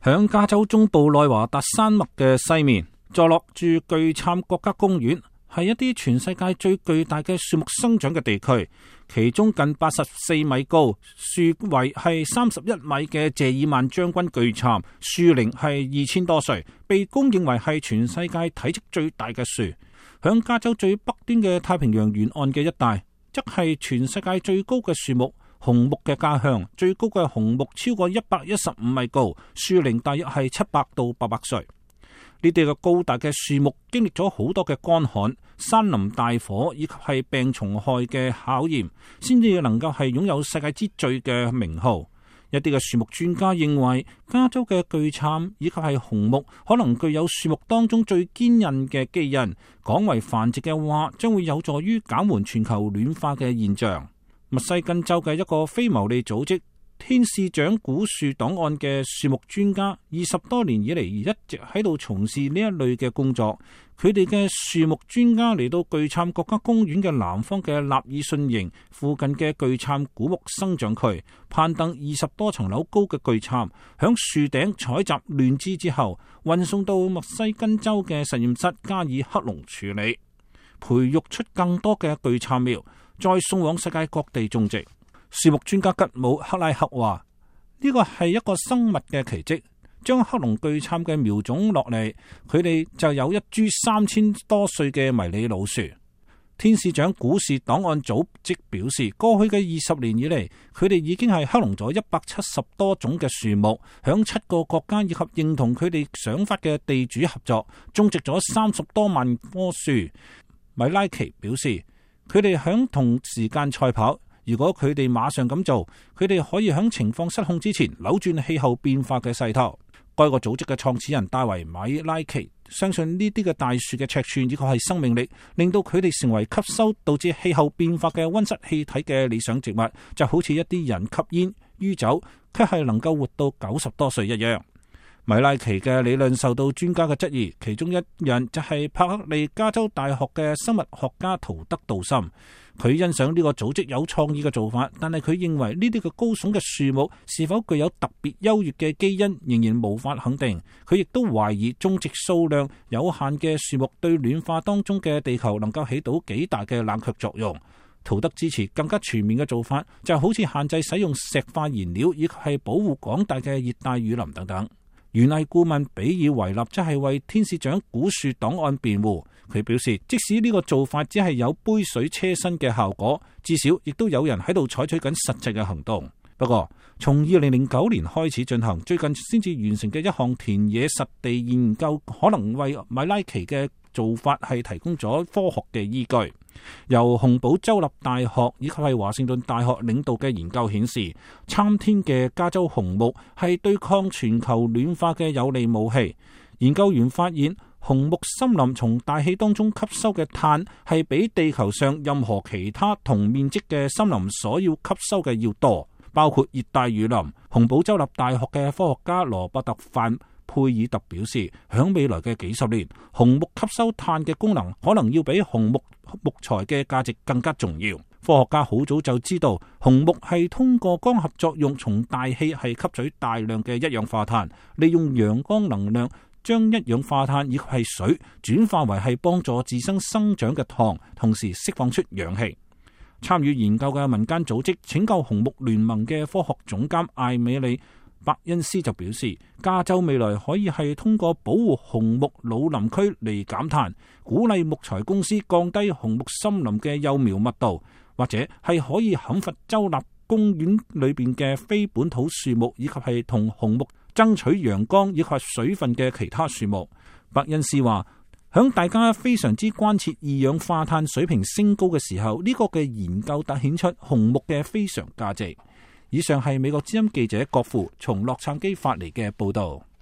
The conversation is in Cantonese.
響加州中部內華達山脈嘅西面，坐落住巨杉國家公園，係一啲全世界最巨大嘅樹木生長嘅地區。其中近84米高、樹圍係31米嘅謝爾曼將軍巨杉，樹齡係2000多歲，被公認為係全世界體積最大嘅樹。響加州最北端嘅太平洋沿岸嘅一帶，則係全世界最高嘅樹木——紅木嘅家鄉。最高嘅紅木超過115米高，樹齡大約係700到800歲。呢啲嘅高大嘅樹木經歷咗好多嘅乾旱、山林大火以及係病蟲害嘅考驗，先至能夠係擁有世界之最嘅名號。一啲嘅樹木專家認為，加州嘅巨杉以及係紅木可能具有樹木當中最堅韌嘅基因，廣為繁殖嘅話，將會有助於減緩全球暖化嘅現象。密西根州嘅一個非牟利組織天使長古樹檔案嘅樹木專家20多年以嚟一直喺度從事呢一類嘅工作。佢哋嘅樹木專家嚟到巨杉國家公園嘅南方嘅納爾遜營附近嘅巨杉古木生長區，攀登20多層樓高嘅巨杉，響樹頂採集亂枝之後，運送到密西根州嘅實驗室加以克隆處理，培育出更多嘅巨杉苗，再送往世界各地種植。樹木專家吉姆克拉克話：呢個係一個生物嘅奇蹟，將克隆巨杉嘅苗種落嚟，佢哋就有一株3000多歲嘅迷你老樹。天使長古樹檔案組織表示，過去嘅20年以嚟，佢哋已經係克隆咗170多種嘅樹木，響7個國家以及認同佢哋想法嘅地主合作，種植咗30多萬棵樹。米拉奇表示，佢哋響同時間賽跑。如果佢哋馬上咁做，佢哋可以喺情況失控之前扭轉氣候變化嘅勢頭。該個組織嘅創始人戴維米拉奇相信呢啲嘅大樹嘅尺寸以及係生命力，令到佢哋成為吸收導致氣候變化嘅溫室氣體嘅理想植物，就好似一啲人吸煙、酗酒，卻係能夠活到90多歲一樣。米拉奇嘅理論受到專家嘅質疑，其中一人就係柏克利加州大學嘅生物學家圖德杜森。佢欣賞呢個組織有創意嘅做法，但係佢認為呢啲嘅高聳嘅樹木是否具有特別優越嘅基因，仍然無法肯定。佢亦都懷疑種植數量有限嘅樹木對暖化當中嘅地球能夠起到幾大嘅冷卻作用。圖德支持更加全面嘅做法，就好似限制使用石化燃料，以及係保護廣大嘅熱帶雨林等等。園藝顧問比爾維納則係為天使長古樹檔案辯護。佢表示，即使呢個做法只係有杯水車薪嘅效果，至少亦都有人喺度採取緊實際嘅行動。不過，從2009年開始進行，最近先至完成嘅一項田野實地研究，可能為米拉奇嘅做法係提供咗科學嘅依據。由洪堡州立大學以及係華盛頓大學領導嘅研究顯示，參天嘅加州紅木係對抗全球暖化嘅有利武器。研究員發現，紅木森林從大氣當中吸收嘅碳係比地球上任何其他同面積嘅森林所要吸收嘅要多，包括熱帶雨林。洪堡州立大學嘅科學家羅伯特范佩爾特表示，響未來嘅幾十年，紅木吸收碳嘅功能可能要比紅木木材嘅價值更加重要。科學家好早就知道，紅木係通過光合作用從大氣係吸取大量嘅一氧化碳，利用陽光能量將一氧化碳以及係水轉化為係幫助自身生長嘅糖，同時釋放出氧氣。參與研究嘅民間組織拯救紅木聯盟嘅科學總監艾美利伯恩斯就表示，加州未來可以係通過保護紅木老林區嚟減碳，鼓勵木材公司降低紅木森林嘅幼苗密度，或者係可以砍伐州立公園裏邊嘅非本土樹木，以及係同紅木爭取陽光以及水分嘅其他樹木。伯恩斯話，響大家非常之關切二氧化碳水平升高嘅時候，呢個嘅研究凸顯出紅木嘅非常價值。以上係美國之音記者郭富從洛杉磯發嚟嘅報道。